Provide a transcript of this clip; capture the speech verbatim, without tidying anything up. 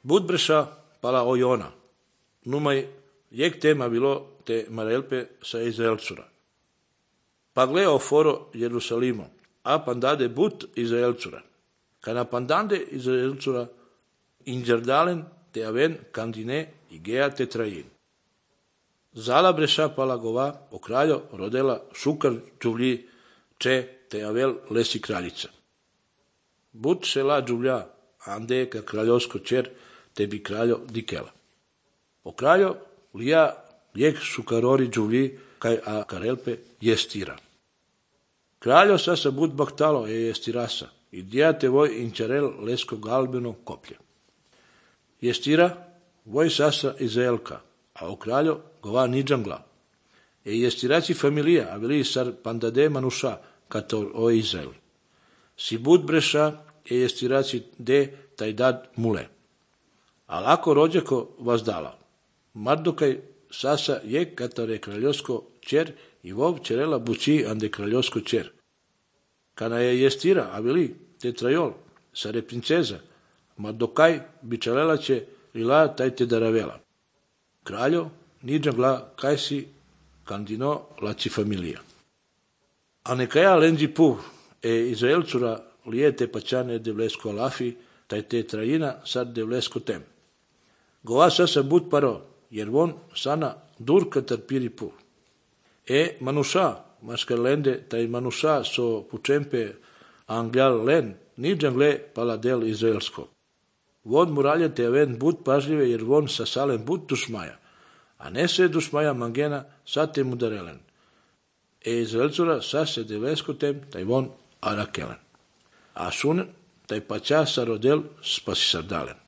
Bud breša pala ojona. Numai jek tema bilo te marelpe sa Izraelcura. Pa gle o foro Jerusalimo, a pandade but Izraelcura. Kana pandande Izraelcura inđerdalen te aven kandine igea te trajin. Zala breša pala gova o kraljo rodela šukar džuvlji če te avel lesi kraljica. But šela džuvlja ande ka kraljovsko čer te bi kraljo dikela. O kraljo lija jek šukarori džuvlji kaj a karelpe jestira. Kraljo sasa bud baktalo e jestirasa i dijate voj inčarel lesko galbeno koplje. Jestira voj sasa Izraelka, a o kraljo gova niđangla. E jestiraci familija, a veli sar pandade manuša kato o Izrael. Si bud breša e jestiraci de taj dad mule. A lako rođeko vazdala. Mardokaj sasa je katare kraljovsko čer i vov čerela bući ande kraljovsko čer. Kana je jestira, a veli te trajol, sare princeza, Mardokaj bičalela će ila taj te daravela. Kraljo niđangla kaj si kandino laci familija. A nekaja lenđi pu e Izraelcura lijete pačane devlesko alafi, taj te trajina sad devlesko tem. Gova sasa bud paro, jer von sana dur katar piri pu. E manuša, maskarlende, taj manuša so pučempe angjal len, niđangle pala del izraelsko. Von muralje te aven bud pažljive, jer von sa salem bud dušmaja, a ne se dušmaja mangena sa te mudarelen. E Izraelcura sa se devlesko tem, taj von arakelen. A sun taj pača sa rodel spasi sardalen.